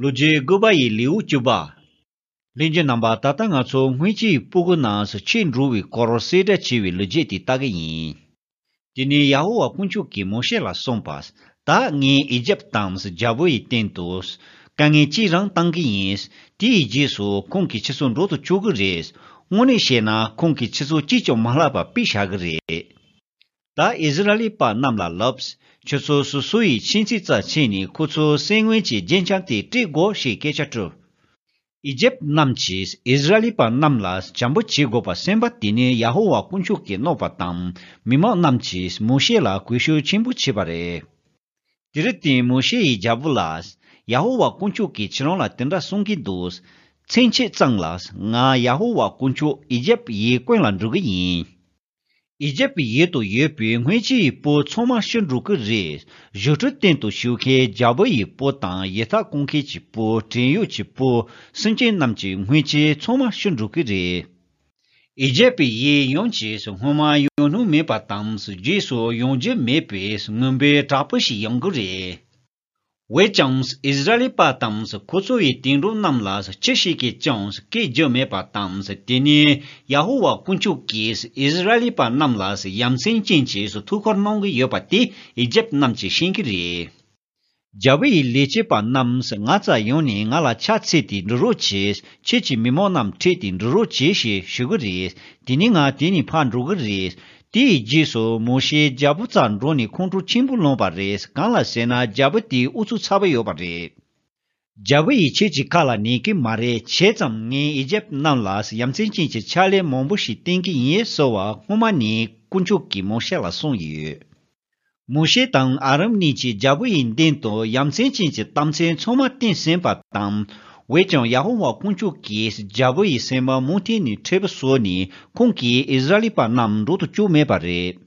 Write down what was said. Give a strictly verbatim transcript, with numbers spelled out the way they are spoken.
ལོ་རྒྱུས་དགུ་པ་ཡི་ལེའུ་བཅུ་པ། ལྷན་རྒྱས་རྣམ་པ། ད་ལྟ་ང་ཚོ་སྔོན་ཆད་ཀྱི་སྤུ་གུ་ནང་ཕྱིར་འགྲོ་བའི་སྐོར་གསལ་བསྒྲགས་བྱས་པའི་ལོ་རྒྱུས་དེ་ལྟ་གི་ཡིན། དེ་ནས་ཡ་ཧོ་ཝཱ་དཀོན་མཆོག་གིས་མོ་ཤེ་ལ་གསུངས་པ། ད་ངས་ཨི་ཇེབ་དང་རྒྱལ་པོ་ཡི་སྟེང་དུ་དཀའ་ངལ་ཅི་རང་བཏང་གི་ཡིན། དེའི་རྗེས་སུ་ཁོང་གིས་ཁྱེད་ཚོ་འགྲོ་དུ་བཅུག་གི་རེད། དངོས་གནས་བཤད་ན་ཁོང་གིས་ཁྱེད་ཚོ་ཅིས་ཀྱང་མ་བསླབ་པ་དཔེ་བཞག་གི་རེད། ད་ཨིསི་ར་ཨེལ་པ་རྣམས་ལ་ལབ། ཁྱོད་ཚོ་སོ་སོ་ཡི་ཁྱིམ་མཚེས་རྩ་ཕྱེ་ནས་ཁོ་ཚོའི་སེམས་ངན་གྱི་རྒྱན་ཆ་དེ་སྤྲད་དགོས་ཞེས་སྐད་ཆ་བཀྲམ། ཨི་ཇེབ་རྣམས་ཀྱིས་ཨིསི་ར་ཨེལ་པ་རྣམས་ལ་བྱམས་པོ་བྱེད་དགོས་པ་གསན་པ་དེ་ནི་ཡ་ཧོ་ཝཱ་དཀོན་མཆོག་གིས་གནང་བ་དང་། མི་མང་རྣམས་ཀྱིས་མོ་ཤེ་ལ་གུས་ཞབས་ཆེན་པོ་བྱས་པ་རེད། དེར་བརྟེན་མོ་ཤེ་ཡིས་རྒྱལ་པོ་ལ། ཡ་ཧོ་ཝཱ་དཀོན་མཆོག་གིས་ཁྱེད་རང་ལ་དེ་འདྲ་གསུང་གི་འདུག་མཚན་ཕྱེད་ཙམ་ལ་ང་ཡ་ཧོ་ཝཱ་དཀོན་མཆོག་ཨི་ཇེབ་ཡི་དཀོན་ལ་འགྲོ་གི་ཡིན། ཨི་ཇེབ་ཡུལ་དུ་ཡོད་པའི་སྔོན་ཆད་ཡི་སྤུ་ཚང་མ་ཤི་འགྲོ་གི་རེད། བཞུགས་ཁྲི་སྟེང་དུ་བཞུགས་མཁན་རྒྱལ་པོ་ཡི་སྤུ་དང་ཡི་དྭགས་རྐང་མཁན་གྱི་སྤུ། བྲན་གཡོག་གི་སྤུ། སེམས་ཅན་རྣམས་ཀྱི་སྔོན་ཆད་ཚང་མ་ཤི་འགྲོ་གི་རེད། ཨི་ཇེབ་ཡི་ཡུལ་ཡོངས་ཀྱིས་སྔོན་མ་ཡོང་མྱོང་མེད་པ་དང་རྗེས་སུ་ཡོང་རྒྱུ་མེད་པའི་མུན་པའི་བྲག་ཕུག་ཞིག་ཡོང་གི་རེད། འོན་ཀྱང་ཨིསི་ར་ཨེལ་པ་དང་ཁོ་ཚོ་ཡི་དིང་རུ་རྣམས་ལ་ཅི་ཞིག་གིས་ཀྱང་སྐད་རྒྱག་མེད་པ་དང་། དེ་ནས་ཡ་ཧོ་ཝཱ་དཀོན་མཆོག་གིས་ཨིསི་ར་ཨེལ་པ་རྣམས་ལ་ཡ་མཚན་ཅན་གྱི་ཐུགས་ཁུར་གནང་གི་ཡོད་པ་དེ་ཨི་ཇེབ་རྣམས་ཀྱིས་ཤེས་ཀྱི་རེད། རྒྱལ་པོ་ཡི་ལས་བྱེད་པ་རྣམས་ང་རྩར་ཡོང་ནས་ང་ལ་ཕྱག་འཚལ་ཏེ་འགྲོ་རོགས་བྱེད། ཁྱེད་ཀྱི་མི་མང་རྣམས་ཁྲིད་དེ་འགྲོ་རོགས་བྱེད་ཞེས་ཞུ་གི་རེད། དེ་ནས་ང་དེ་ནས་ཕར་འགྲོ་གི་རེད། དེའི་རྗེས་སུ་མོ་ཤེ་རྒྱལ་པོ་རྩར་འགྲོ་ནས་ཁོང་ཁྲོ་ཆེན་པོ་ལངས་པ་རེད། གང་ལ་ཟེར་ན་རྒྱལ་པོ་དེའི་ཨུ་ཚུགས་ཚ་པོ་ཡོད་པ་རེད། རྒྱལ་པོ་ཡིས་ཁྱེད་ཀྱི་ཁ་ལ་ཉན་གི་མ་རེད། བྱས་ཙང་ངས་ཨི་ཇེབ་རྣམས་ལ་ཡ་མཚན་ཅན་གྱི་ཕྱག་ལས་མང་པོ་ཞིག་བསྟན་གི་ཡིན་ཟེར་བ་སྔོན་མ་ནས་དཀོན་མཆོག་གིས་མོ་ཤེ་ལ་གསུངས་ཡོད། མོ་ཤེ་དང་ཨ་རོན་གཉིས་ཀྱིས་རྒྱལ་པོ་ཡི་མདུན་དུ་ཡ་མཚན་ཅན་གྱི་གཏམ་ཚིག་ཚང་མ་བསྟན་ཟིན་པ་དང་། འོན་ཀྱང་ཡ་ཧོ་ཝཱ་དཀོན་མཆོག་གིས་རྒྱལ་པོ་ཡི་སེམས་པ་མུ་མཐུད་ནས་མཁྲེགས་པོ་བཟོས་ནས་ཁོང་གིས་ཨིསི་ར་ཨེལ་པ་རྣམས་འགྲོ་དུ་བཅུག་མེད་པ་རེད།